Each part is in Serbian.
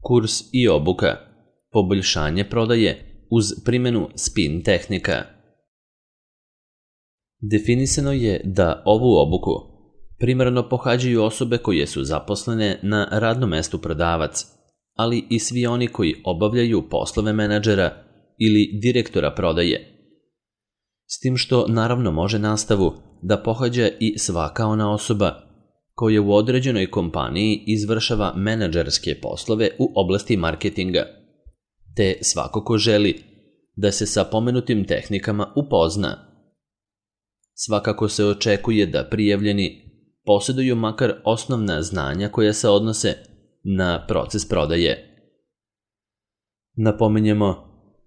Kurs i obuka. Poboljšanje prodaje uz primjenu spin tehnika. Definisano je da ovu obuku primarno pohađaju osobe koje su zaposlene na radnom mestu prodavac, ali i svi oni koji obavljaju poslove menadžera ili direktora prodaje. S tim što naravno može nastavu da pohađa i svaka ona osoba koja u određenoj kompaniji izvršava menadžerske poslove u oblasti marketinga, te svako ko želi da se sa pomenutim tehnikama upozna. Svakako se očekuje da prijavljeni posjeduju makar osnovna znanja koja se odnose na proces prodaje. Napominjemo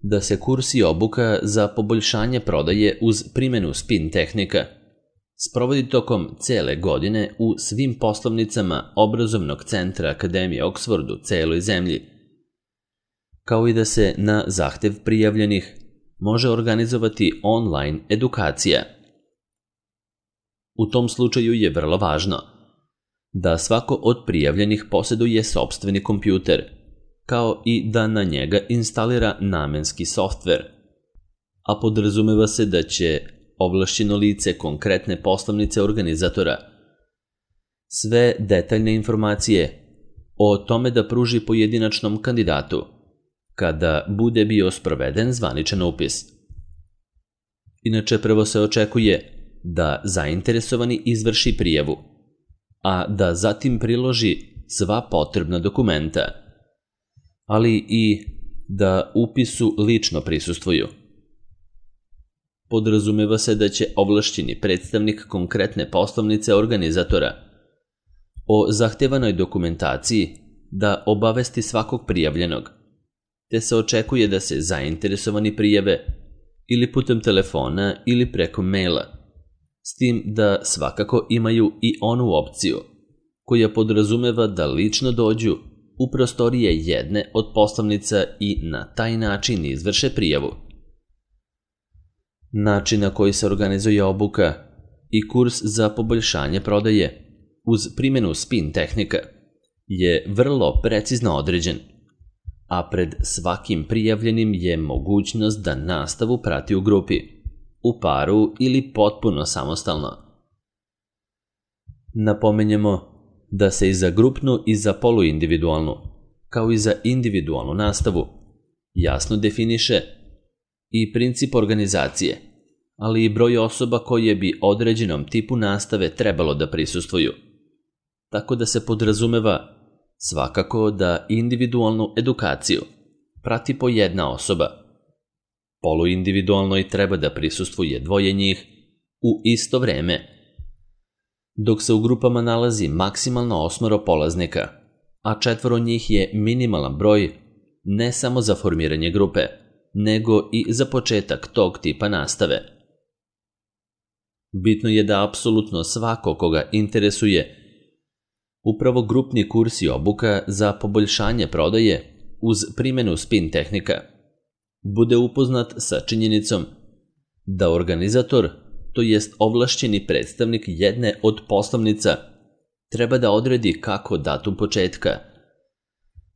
da se kurs i obuka za poboljšanje prodaje uz primjenu spin tehnika sprovodi tokom cele godine u svim poslovnicama obrazovnog centra Akademije Oxford u celoj zemlji, kao i da se na zahtev prijavljenih može organizovati online edukacija. U tom slučaju je vrlo važno da svako od prijavljenih posjeduje sopstveni kompjuter, kao i da na njega instalira namenski softver, a podrazumeva se da će ovlašćeno lice konkretne poslovnice organizatora sve detaljne informacije o tome da pruži pojedinačnom kandidatu kada bude bio sproveden zvaničan upis. Inače, prvo se očekuje da zainteresovani izvrši prijavu, a da zatim priloži sva potrebna dokumenta, ali i da upisu lično prisustvuju. Podrazumeva se da će ovlašćeni predstavnik konkretne poslovnice organizatora o zahtevanoj dokumentaciji da obavesti svakog prijavljenog, te se očekuje da se zainteresovani prijave ili putem telefona ili preko maila, s tim da svakako imaju i onu opciju koja podrazumeva da lično dođu u prostorije jedne od poslovnica i na taj način izvrše prijavu. Način na koji se organizuje obuka i kurs za poboljšanje prodaje uz primjenu spin tehnika je vrlo precizno određen, a pred svakim prijavljenim je mogućnost da nastavu prati u grupi, u paru ili potpuno samostalno. Napominjemo da se i za grupnu i za poluindividualnu, kao i za individualnu nastavu, jasno definiše i princip organizacije, ali i broj osoba koje bi određenom tipu nastave trebalo da prisustvuju. Tako da se podrazumeva svakako da individualnu edukaciju prati po jedna osoba. Poluindividualnoj treba da prisustvuje dvoje njih u isto vreme, dok se u grupama nalazi maksimalno 8 polaznika, a 4 njih je minimalan broj ne samo za formiranje grupe, nego i za početak tog tipa nastave. Bitno je da apsolutno svako koga interesuje upravo grupni kurs i obuka za poboljšanje prodaje uz primjenu spin tehnika bude upoznat sa činjenicom da organizator, to jest ovlašćeni predstavnik jedne od poslovnica, treba da odredi kako datum početka,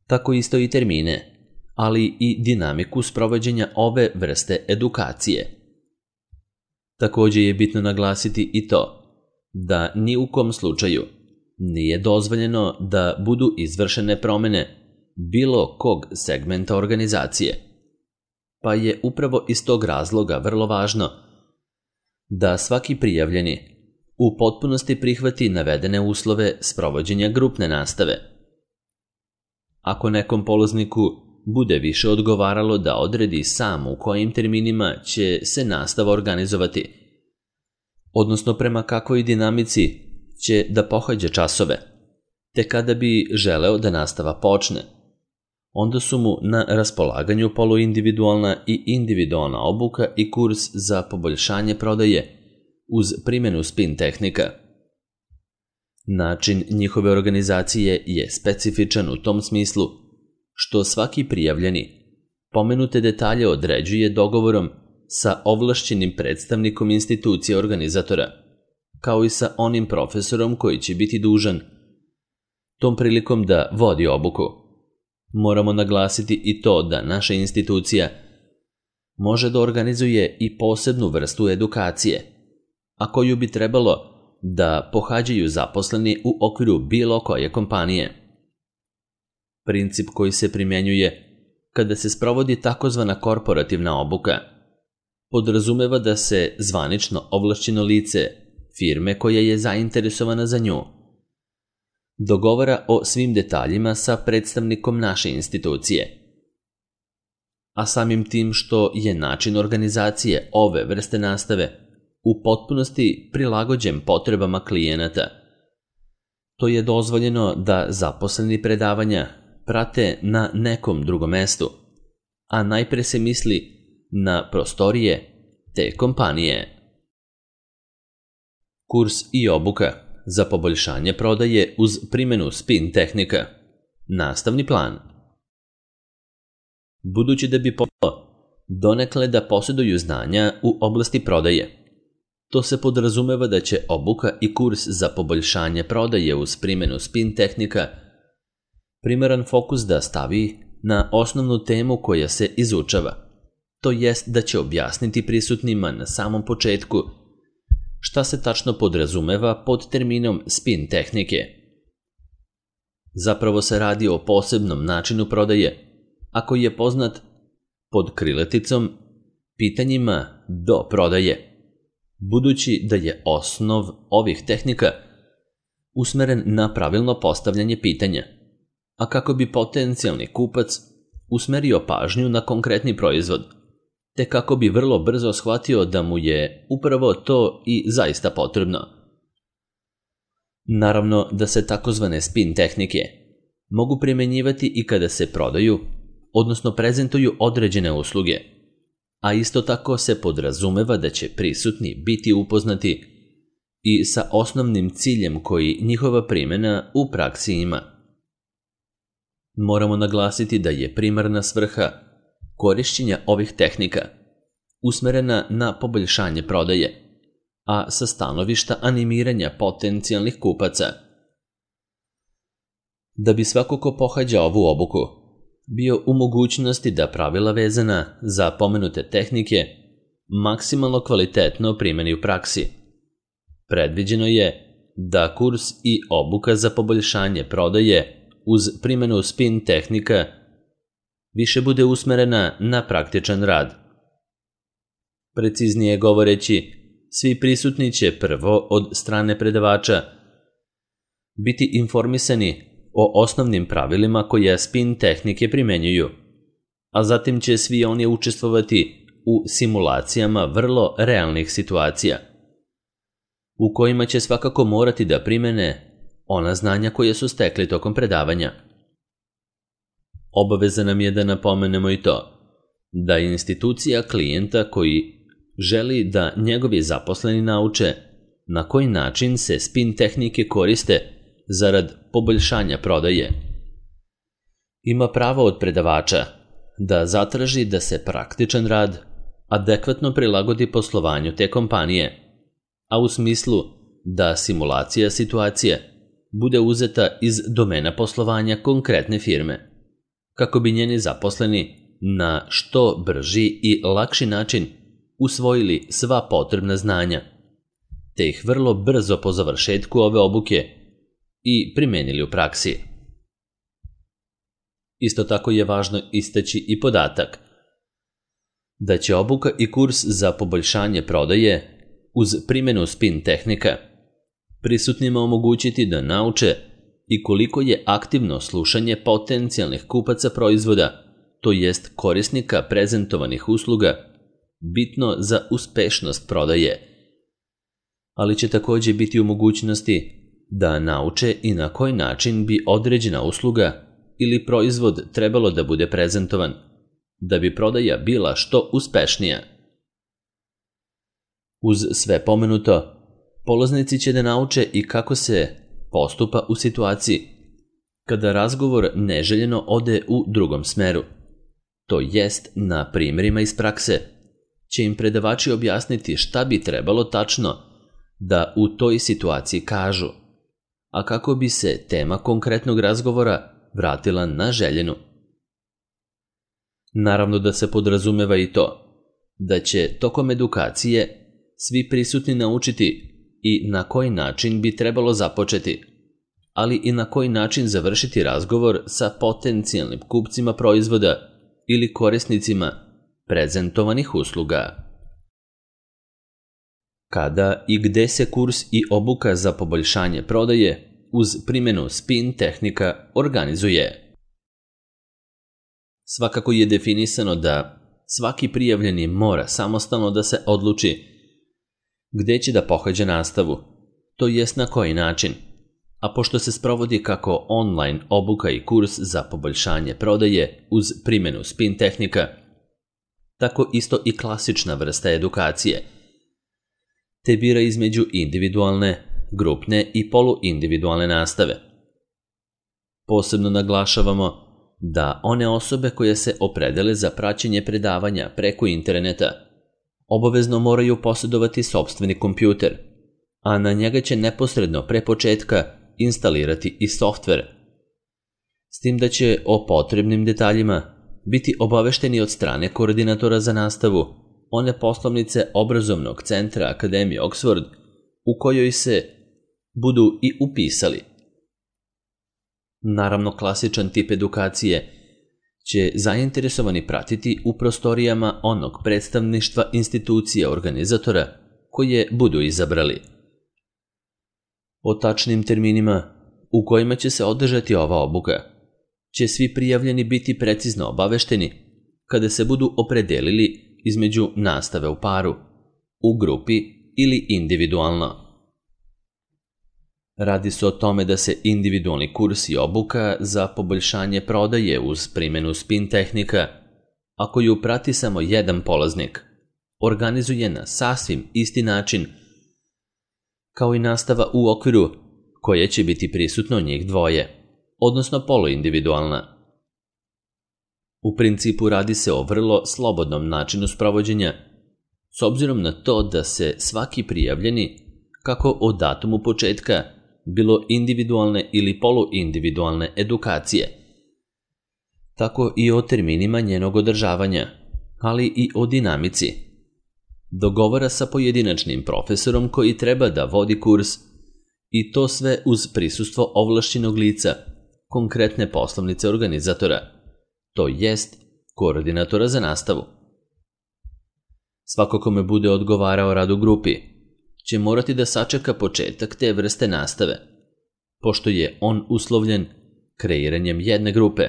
tako isto i termine, ali i dinamiku sprovođenja ove vrste edukacije. Također je bitno naglasiti i to da ni u kom slučaju nije dozvoljeno da budu izvršene promjene bilo kog segmenta organizacije, pa je upravo iz tog razloga vrlo važno da svaki prijavljeni u potpunosti prihvati navedene uslove sprovođenja grupne nastave. Ako nekom polazniku bude više odgovaralo da odredi sam u kojim terminima će se nastava organizovati, odnosno prema kakvoj dinamici će da pohađa časove, te kada bi želeo da nastava počne, onda su mu na raspolaganju poluindividualna i individualna obuka i kurs za poboljšanje prodaje uz primjenu spin tehnika. Način njihove organizacije je specifičan u tom smislu što svaki prijavljeni pomenute detalje određuje dogovorom sa ovlašćenim predstavnikom institucije organizatora, kao i sa onim profesorom koji će biti dužan tom prilikom da vodi obuku. Moramo naglasiti i to da naša institucija može da organizuje i posebnu vrstu edukacije, a koju bi trebalo da pohađaju zaposleni u okviru bilo koje kompanije. Princip koji se primjenjuje kada se sprovodi takozvana korporativna obuka podrazumeva da se zvanično ovlašćeno lice firme koja je zainteresovana za nju dogovara o svim detaljima sa predstavnikom naše institucije. A samim tim što je način organizacije ove vrste nastave u potpunosti prilagođen potrebama klijenata, to je dozvoljeno da zaposleni predavanja prate na nekom drugom mestu, a najpre se misli na prostorije te kompanije. Kurs i obuka za poboljšanje prodaje uz primjenu spin tehnika. Nastavni plan. Budući da bi potrebalo donekle da posjeduju znanja u oblasti prodaje, to se podrazumeva da će obuka i kurs za poboljšanje prodaje uz primjenu spin tehnika primaran fokus da stavi na osnovnu temu koja se izučava, to jest da će objasniti prisutnima na samom početku šta se tačno podrazumeva pod terminom spin tehnike. Zapravo se radi o posebnom načinu prodaje, a koji je poznat pod krilaticom pitanjima do prodaje, budući da je osnov ovih tehnika usmeren na pravilno postavljanje pitanja, a kako bi potencijalni kupac usmerio pažnju na konkretni proizvod, te kako bi vrlo brzo shvatio da mu je upravo to i zaista potrebno. Naravno da se takozvane spin tehnike mogu primjenjivati i kada se prodaju, odnosno prezentuju određene usluge, a isto tako se podrazumeva da će prisutni biti upoznati i sa osnovnim ciljem koji njihova primjena u praksi ima. Moramo naglasiti da je primarna svrha korišćenja ovih tehnika usmerena na poboljšanje prodaje, a sa stanovišta animiranja potencijalnih kupaca. Da bi svako ko pohađa ovu obuku bio u mogućnosti da pravila vezana za pomenute tehnike maksimalno kvalitetno primjeni u praksi, predviđeno je da kurs i obuka za poboljšanje prodaje uz primjenu spin tehnika više bude usmerena na praktičan rad. Preciznije govoreći, svi prisutni će prvo od strane predavača biti informisani o osnovnim pravilima koje spin tehnike primenjuju, a zatim će svi oni učestvovati u simulacijama vrlo realnih situacija, u kojima će svakako morati da primene ona znanja koje su stekli tokom predavanja. Obaveza nam je da napomenemo i to da institucija klijenta koji želi da njegovi zaposleni nauče na koji način se spin tehnike koriste zarad poboljšanja prodaje, ima pravo od predavača da zatraži da se praktičan rad adekvatno prilagodi poslovanju te kompanije, a u smislu da simulacija situacije bude uzeta iz domena poslovanja konkretne firme, kako bi njeni zaposleni na što brži i lakši način usvojili sva potrebna znanja, te ih vrlo brzo po završetku ove obuke i primenili u praksi. Isto tako je važno istaći i podatak da će obuka i kurs za poboljšanje prodaje uz primjenu spin tehnika prisutnima omogućiti da nauče i koliko je aktivno slušanje potencijalnih kupaca proizvoda, to jest korisnika prezentovanih usluga, bitno za uspešnost prodaje, ali će također biti u mogućnosti da nauče i na koji način bi određena usluga ili proizvod trebalo da bude prezentovan, da bi prodaja bila što uspešnija. Uz sve pomenuto, polaznici će da nauče i kako se postupa u situaciji kada razgovor neželjeno ode u drugom smeru, to jest na primjerima iz prakse će im predavači objasniti šta bi trebalo tačno da u toj situaciji kažu, a kako bi se tema konkretnog razgovora vratila na željenu, Naravno da se podrazumeva i to da će tokom edukacije svi prisutni naučiti i na koji način bi trebalo započeti, ali i na koji način završiti razgovor sa potencijalnim kupcima proizvoda ili korisnicima prezentovanih usluga. Kada i gde se kurs i obuka za poboljšanje prodaje uz primjenu spin tehnika organizuje? Svakako je definisano da svaki prijavljeni mora samostalno da se odluči gde će da pohađa nastavu, to jest na koji način, a pošto se sprovodi kako online obuka i kurs za poboljšanje prodaje uz primjenu spin tehnika, tako isto i klasična vrsta edukacije, te bira između individualne, grupne i poluindividualne nastave. Posebno naglašavamo da one osobe koje se opredele za praćenje predavanja preko interneta obavezno moraju posjedovati sopstveni kompjuter, a na njega će neposredno pre početka instalirati i softver, s tim da će o potrebnim detaljima biti obavešteni od strane koordinatora za nastavu one poslovnice obrazovnog centra Akademije Oxford u kojoj se budu i upisali. Naravno, klasičan tip edukacije će zainteresovani pratiti u prostorijama onog predstavništva institucija organizatora koje budu izabrali. O tačnim terminima u kojima će se održati ova obuka će svi prijavljeni biti precizno obavešteni kada se budu opredelili između nastave u paru, u grupi ili individualno. Radi se o tome da se individualni kurs i obuka za poboljšanje prodaje uz primjenu spin tehnika, a koju prati samo jedan polaznik, organizuje na sasvim isti način kao i nastava u okviru koje će biti prisutno njih dvoje, odnosno poluindividualna. U principu radi se o vrlo slobodnom načinu sprovođenja, s obzirom na to da se svaki prijavljeni, kako o datumu početka, bilo individualne ili poluindividualne edukacije, tako i o terminima njenog održavanja, ali i o dinamici, dogovara sa pojedinačnim profesorom koji treba da vodi kurs i to sve uz prisustvo ovlašćenog lica, konkretne poslovnice organizatora, to jest koordinatora za nastavu. Svako kome bude odgovarao rad u grupi će morati da sačeka početak te vrste nastave, pošto je on uslovljen kreiranjem jedne grupe,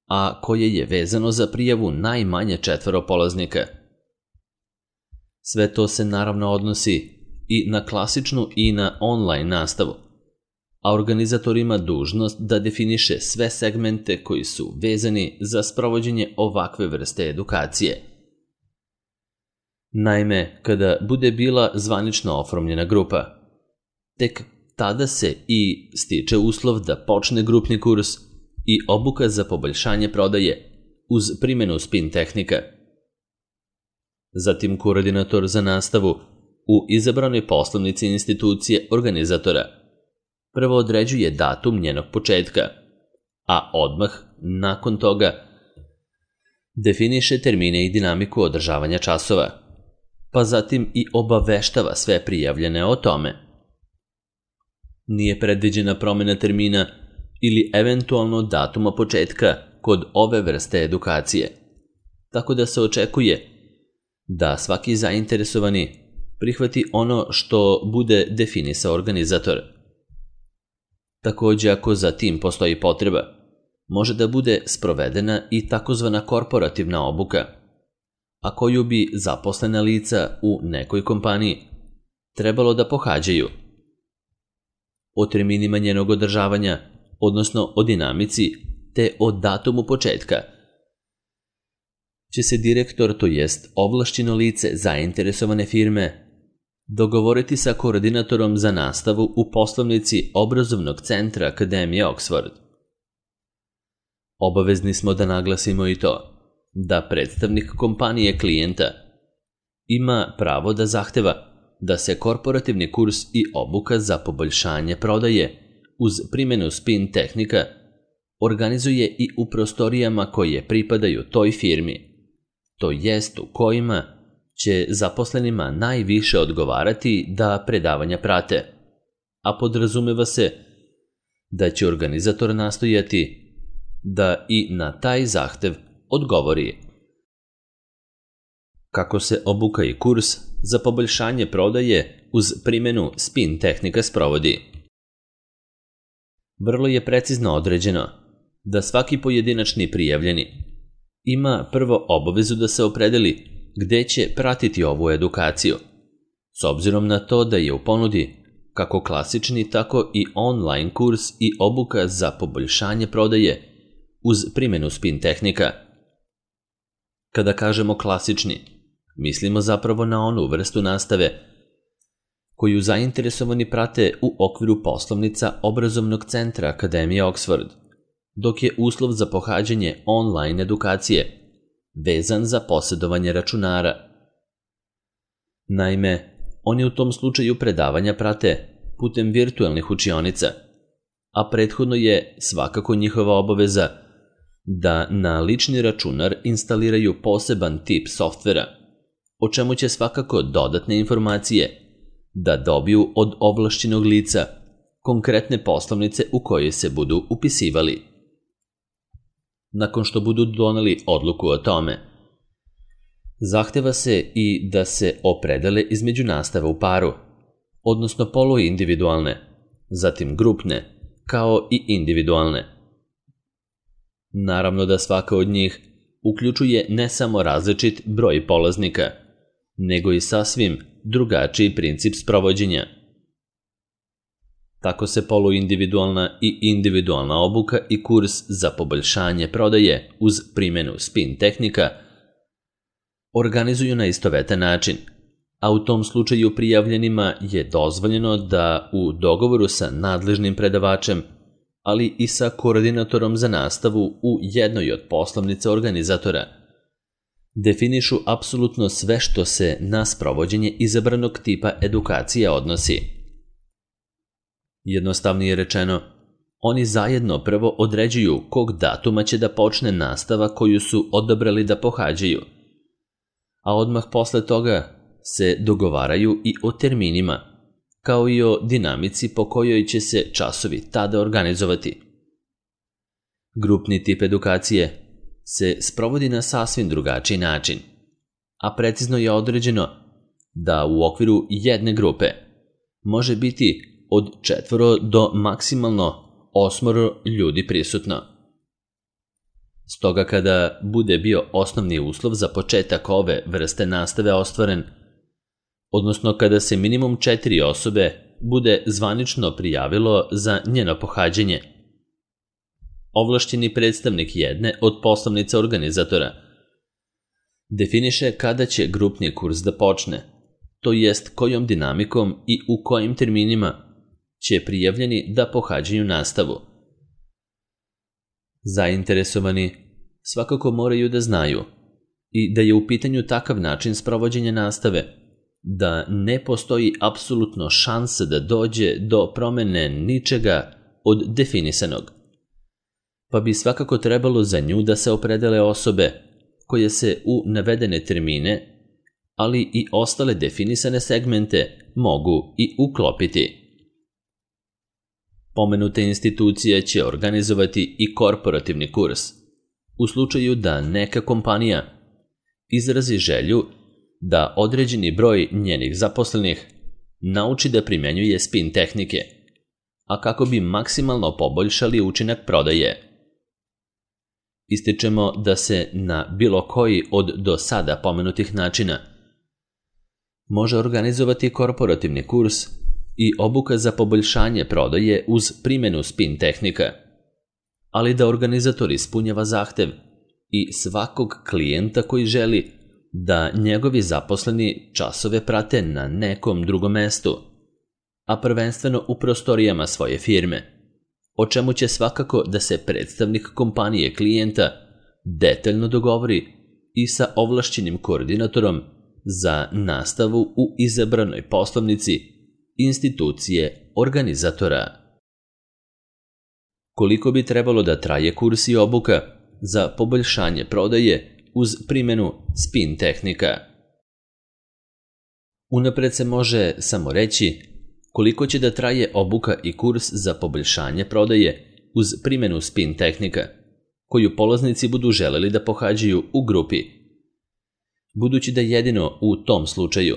a koje je vezano za prijavu najmanje 4 polaznika. Sve to se naravno odnosi i na klasičnu i na online nastavu, a organizator ima dužnost da definiše sve segmente koji su vezani za sprovođenje ovakve vrste edukacije. Naime, kada bude bila zvanično oformljena grupa, tek tada se i stiče uslov da počne grupni kurs i obuka za poboljšanje prodaje uz primjenu spin tehnika. Zatim koordinator za nastavu u izabranoj poslovnici institucije organizatora prvo određuje datum njenog početka, a odmah nakon toga definiše termine i dinamiku održavanja časova, pa zatim i obaveštava sve prijavljene o tome. Nije predviđena promjena termina ili eventualno datuma početka kod ove vrste edukacije, tako da se očekuje da svaki zainteresovani prihvati ono što bude definisao organizator. Također, ako za tim postoji potreba, može da bude sprovedena i takozvana korporativna obuka, a koju bi zaposlena lica u nekoj kompaniji trebalo da pohađaju. O terminima njenog održavanja, odnosno o dinamici, te o datumu početka, će se direktor, to jest ovlašćeno lice zainteresovane firme, dogovoriti sa koordinatorom za nastavu u poslovnici obrazovnog centra Akademije Oxford. Obavezni smo da naglasimo i to da predstavnik kompanije klijenta ima pravo da zahteva da se korporativni kurs i obuka za poboljšanje prodaje uz primjenu spin tehnika organizuje i u prostorijama koje pripadaju toj firmi, to jest u kojima će zaposlenima najviše odgovarati da predavanja prate, a podrazumeva se da će organizator nastojati da i na taj zahtev odgovori. Kako se obuka i kurs za poboljšanje prodaje uz primjenu spin tehnika sprovodi? Vrlo je precizno određeno da svaki pojedinačni prijavljeni ima prvo obavezu da se opredeli gde će pratiti ovu edukaciju, s obzirom na to da je u ponudi kako klasični, tako i online kurs i obuka za poboljšanje prodaje uz primjenu spin tehnika. Kada kažemo klasični, mislimo zapravo na onu vrstu nastave koju zainteresovani prate u okviru poslovnica obrazovnog centra Akademije Oxford, dok je uslov za pohađanje online edukacije vezan za posjedovanje računara. Naime, oni u tom slučaju predavanja prate putem virtualnih učionica, a prethodno je svakako njihova obaveza da na lični računar instaliraju poseban tip softvera, o čemu će svakako dodatne informacije da dobiju od ovlašćenog lica konkretne poslovnice u koje se budu upisivali. Nakon što budu doneli odluku o tome, zahteva se i da se opredele između nastave u paru, odnosno poluindividualne, zatim grupne, kao i individualne. Naravno da svaka od njih uključuje ne samo različit broj polaznika, nego i sasvim drugačiji princip sprovođenja. Tako se poluindividualna i individualna obuka i kurs za poboljšanje prodaje uz primjenu spin tehnika organizuju na istovetan način, a u tom slučaju prijavljenima je dozvoljeno da u dogovoru sa nadležnim predavačem, ali i sa koordinatorom za nastavu u jednoj od poslovnica organizatora, definišu apsolutno sve što se na sprovođenje izabranog tipa edukacije odnosi. Jednostavnije rečeno, oni zajedno prvo određuju kog datuma će da počne nastava koju su odabrali da pohađaju, a odmah posle toga se dogovaraju i o terminima, kao i o dinamici po kojoj će se časovi tada organizovati. Grupni tip edukacije se sprovodi na sasvim drugačiji način, a precizno je određeno da u okviru jedne grupe može biti od 4 do maksimalno 8 ljudi prisutno. Stoga kada bude bio osnovni uslov za početak ove vrste nastave ostvaren, odnosno kada se minimum 4 osobe bude zvanično prijavilo za njeno pohađanje, ovlašćeni predstavnik jedne od poslovnica organizatora definiše kada će grupni kurs da počne, to jest kojom dinamikom i u kojim terminima će prijavljeni da pohađaju nastavu. Zainteresovani svakako moraju da znaju i da je u pitanju takav način sprovođenja nastave, da ne postoji apsolutno šansa da dođe do promene ničega od definisanog, pa bi svakako trebalo za nju da se opredele osobe koje se u navedene termine, ali i ostale definisane segmente mogu i uklopiti. Pomenute institucije će organizovati i korporativni kurs, u slučaju da neka kompanija izrazi želju da određeni broj njenih zaposlenih nauči da primjenjuje spin tehnike, a kako bi maksimalno poboljšali učinak prodaje. Ističemo da se na bilo koji od do sada pomenutih načina može organizovati korporativni kurs i obuka za poboljšanje prodaje uz primjenu spin tehnika, ali da organizator ispunjava zahtev i svakog klijenta koji želi da njegovi zaposleni časove prate na nekom drugom mestu, a prvenstveno u prostorijama svoje firme, o čemu će svakako da se predstavnik kompanije klijenta detaljno dogovori i sa ovlašćenim koordinatorom za nastavu u izabranoj poslovnici institucije organizatora. koliko bi trebalo da traje kurs i obuka za poboljšanje prodaje uz primjenu spin tehnika. Unapred se može samo reći koliko će da traje obuka i kurs za poboljšanje prodaje uz primjenu spin tehnika, koju polaznici budu želeli da pohađaju u grupi. Budući da jedino u tom slučaju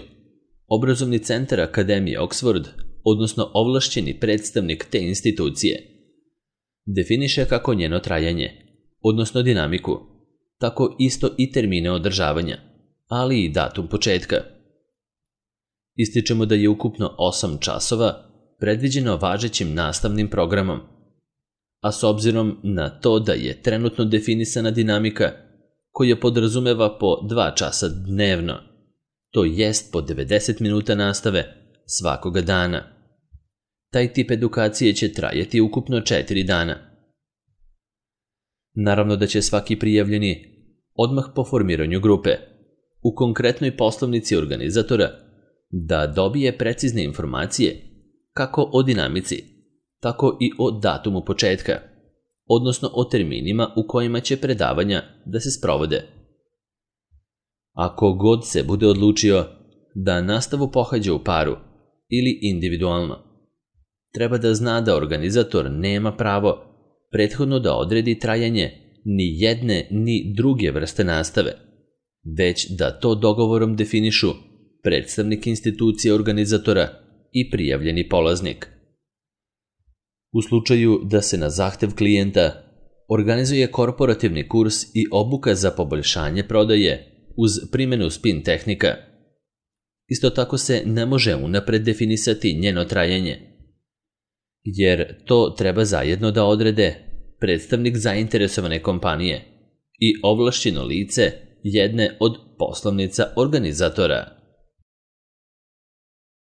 Obrazovni centar Akademije Oxford, odnosno ovlašćeni predstavnik te institucije, definiše kako njeno trajanje, odnosno dinamiku, tako isto i termine održavanja, ali i datum početka. Ističemo da je ukupno 8 časova predviđeno važećim nastavnim programom, a s obzirom na to da je trenutno definisana dinamika koja podrazumeva po 2 časa dnevno, to jest po 90 minuta nastave svakoga dana. Taj tip edukacije će trajati ukupno 4 dana. Naravno da će svaki prijavljeni odmah po formiranju grupe u konkretnoj poslovnici organizatora da dobije precizne informacije kako o dinamici, tako i o datumu početka, odnosno o terminima u kojima će predavanja da se sprovode. Ako god se bude odlučio da nastavu pohađa u paru ili individualno, treba da zna da organizator nema pravo prethodno da odredi trajanje ni jedne ni druge vrste nastave, već da to dogovorom definišu predstavnik institucije organizatora i prijavljeni polaznik. U slučaju da se na zahtev klijenta organizuje korporativni kurs i obuka za poboljšanje prodaje uz primjenu spin tehnika, isto tako se ne može unapred definisati njeno trajanje, jer to treba zajedno da odrede predstavnik zainteresovane kompanije i ovlašćeno lice jedne od poslovnica organizatora.